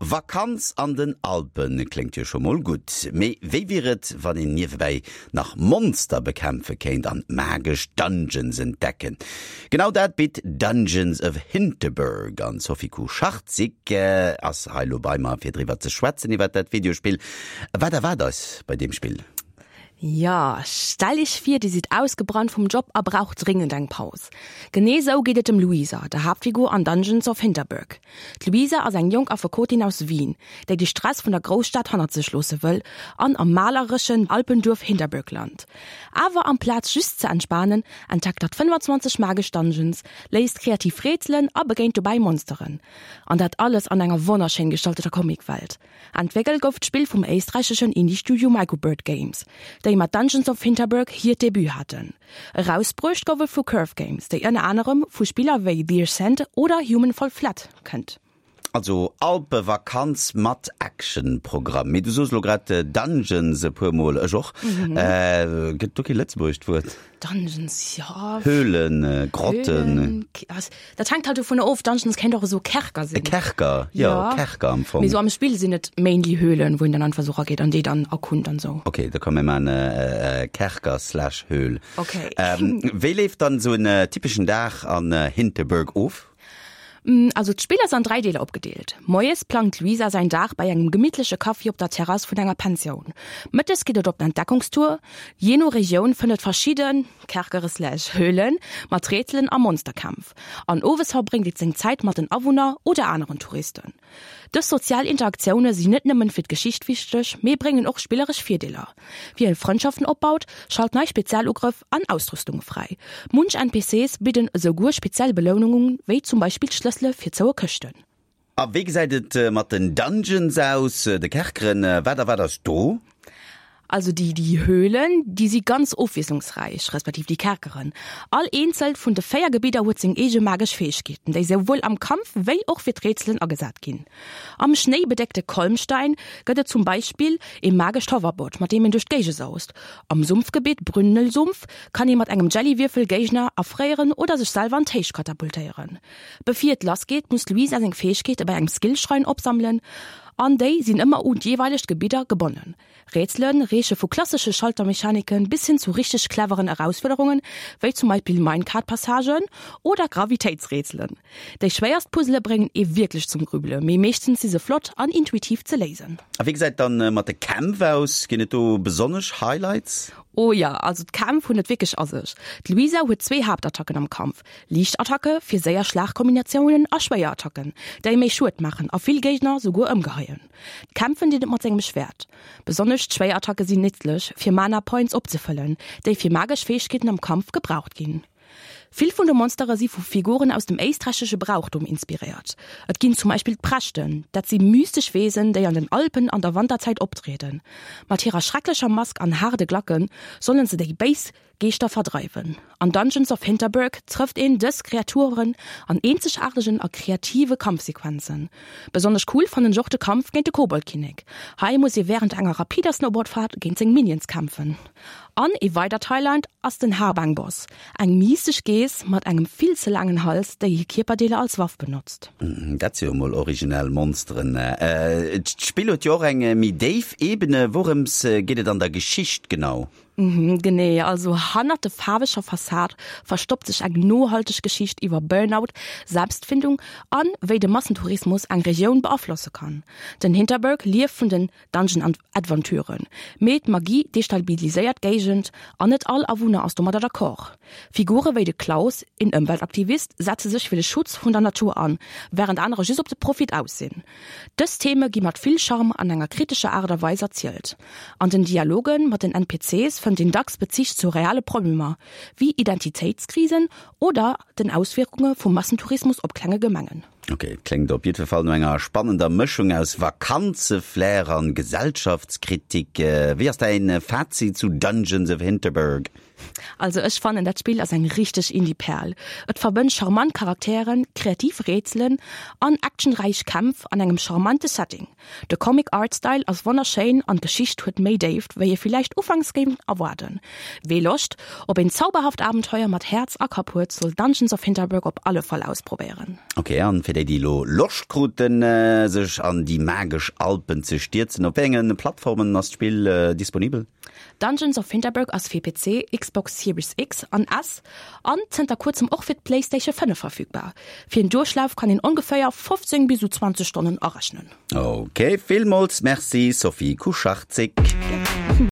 Vakanz an den Alpen kléngt jo scho mol gutt. Mee wéi wier et, wann een niewebäi nach Monster bekämpfe kéint an magesch Dungeons entdecken? Genau dat bitt Dungeons of Hinterberg an d'Sophie Kucharczyk ass hei lo bei mer fir driwwer ze schwätzen iwwer dat Videospill. Wat erwaart eis bei deem Spill? Jo, stell iech vir, dir sidd ausgebrannt vum Job a braucht dringend eng Paus. Genee sou geet et dem Luisa, der Haaptfigur an Dungeons of Hinterberg. D'Luisa ass eng jonk Affekotin aus Wien, déi de Stress vun der Grousstad hannert sech loosse wëll an am malereschen Alpenduerf Hinterberg lant. Awer amplaz just ze entspanen, entdeckt hatt 25 magesch Dungeons, léist kreativ Rätselen a begéint dobäi Monsteren. An dat alles an enger wonnerschéin gestalteter Comicwelt. Entwéckelt gouf d'Spill vum éisträicheschen Indie-Studio Microbird Games, déi mat Dungeons of Hinterberg hiert Debut haten. Erausbruecht gouf et vu Curve Games, déi ënner anerem vu Spiller wéi The Ascent oder Human Fall Flat kënnt. Also Alpevakanz mat Actionprogramm. Mee du soos elo grad Dungeons e puer mol, ech och. Gëtt do kee lëtzebuergescht Wuert? Dungeons, jo. Höhlen, Grotten. Höhlen, dat hänkt halt dovun of. Dungeons kéint och esou Kerker sinn. E Kerker, jo, Kerker am Fong. Mee esou am Spill sinn et mainly Höhlen, wou een dann einfach esou erageet an déi dann erkunnt an esou. Ok, da komm mir maachen e Kerker slash Höhl. Ok. Wéi leeft dann esou en typeschen Dag an Hinterberg of? Also d'Spill ass an 3 Deeler opgedeelt. Moies plangt d'Luisa säin Dag bei engem gemittleche Kaffi op der Terrass vun enger Pensioun. Mëttes geet et op Entdeckungstour. Jee no Regioun fënnt et verschidde Kerkere slash Höhlen mat Rätselen a Monsterkämpf. An owes verbréngt et seng Zäit mat den Awunner oder aneren Touristen. Dës sozial Interaktioune sinn net nëmmen fir d'Geschicht wichteg, mee bréngen och spilleresch Virdeeler. Wien Frëndschaften opbaut, schalt nei Spezialugrëff an Ausrüstunge fräi. Munch NPCs bidden esouguer speziell Belounungen, wéi zum Beispill Schlëssele fir zoue Këschten. A wéi gesäit et mat den Dungeons aus, de Kerkeren? Wat a wat ass do? Also déi déi Höhlen, déi si ganz ofwiesslungsräich, respektiv déi Kerkeren. All eenzelt vun de 4 Gebidder huet seng eege magesch Fäegkeeten, déi souwuel am Kampf wéi och fir d'Rätselen agesat ginn. Am schnéibedéckte Kolmstein gëtt et zum Beispill ee magescht Hoverboard, mat deem een duerch d'Géige saust. Am Sumpfgebitt Brünnelsumpf kann ee mat engem Jellywierfel Géigner erfréieren oder sech selwer an d'Héicht katapultéieren. Bevir et lass geet, muss d'Luisa seng Fäegkeete bei engem Skillschrein opsammelen an déi sinn ëmmer un d'jeeweilegt Gebidder gebonnen. Rätsele reeche vu klassesche Schaltermechaniken bis hin zu richteg cleveren Erausfuerderungen, wéi zum Beispill Minecart-Passagen oder Gravitéitsrätselen. Déi schwéierst Puzzele bréngen ee wierklech zum Grübele, mee meeschtens si se flott an intuitiv ze léisen. A wéi gesäit dann mat de Kämpf aus? Ginn et do besonnesch Highlights? Oh jo, also d'Kämpf hunn et wierklech a sech. D'Luisa huet zwee Haaptattacken am Kampf, Liicht Attacke fir séier Schlagkombinatiounen a schwéier Attacken, déi méi Schued maachen a vill Géigner souguer ëmgeheien. Kämpfen dinn et mat sengem Schwäert. Besonnesch d'Schwéierattacke sinn nitzlech, fir Mana Points opzefëllen, déi fir magesch Fäegkeeten am Kampf gebraucht ginn. Vill vun de Monstere si vu Figuren aus dem éisträichesche Brauchtum inspiréiert. Et ginn zum Beispill d'Prächten, dat si mystesch Wesen, déi an den Alpen an der Wanterzäit optrieden. Mat hirer schrecklecher Mask an haarde Glacke sollen se déi béis Geeschter verdreiwen. An Dungeons of Hinterberg trëfft een dës Kreaturen an eenzegaartegen a kreative Kampfsequenzen. Besonnesch cool fannen ech och de Kampf géint de Koboldkinnek. Hei muss ee wärend enger rapider Snowboardfahrt géint seng Minions kämpfen. An ee weidert Highlight ass den Haarbang-Boss, eng mystesch Geess mat engem vill ze laangen Hals, déi hir Kierperdeeler als Waff benotzt. Dat si jo mol originell Monsteren. D'Spill huet jo och eng méi déif Ebene. Wourëms geet et an der Geschicht genau? Genee, also hannert de faarweger Fassad verstoppt sech eng nohalteg Geschicht iwwer Burnout, Selbstfindung an wéi de Massentourismus eng Regioun beaflosse kann. Den Hinterberg lieft vun den Dungeon Adventuren, mee d'Magie destabiliséiert d'Géigend an net all Awunner ass domadder d'accord. Figure wéi de Klaus, een Ëmweltaktivist, setze sech fir de Schutz vun der Natur an, wärend anerer just op de Profit aus sinn. Dës Theme gi mat vill Charme an enger kritescher Aart a Weis erzielt. An den Dialoge mat den NPCs fënnt een dacks Bezich zu reale Problemer, wéi Identitéitskrisen oder den Auswierkunge vum Massentourismus op klenge Gemengen. Ok, et kléngt op jiddwer Fall no enger spannender Mëschung aus Vakanzeflair an Gesellschaftskritik. Wéi ass däin Fazit zu Dungeons of Hinterberg? Also ech fannen dat Spill ass eng richteg Indie-Perl. Et verbënnt charmant Charakteren, kreativ Rätselen an actionräich Kämpf an engem charmante Setting. De Comic Art Style ass wonnerschéin an d'Geschicht huet méi Déift wéi ee villäicht ufanks géing erwaarden. Wee Loscht op een zauberhaft Abenteuer mat Häerz a Kapp huet, soll Dungeons of Hinterberg op alle Fall ausprobéieren. Ok, an fir déi déi elo Loscht kruten sech an déi magesch Alpen ze stierzen, op wéi enge Plattformen ass d'Spill disponibel? Dungeons of Hinterberg ass fir PC, Xbox Series X an S an zënter kuerzem och fir d'PlayStation 5 verfügbar. Fir en Duerchlaf kann een ongeféier 15 bis u 20 Stonnen arechnen. Ok, villmools Merci Sophie Kucharczyk.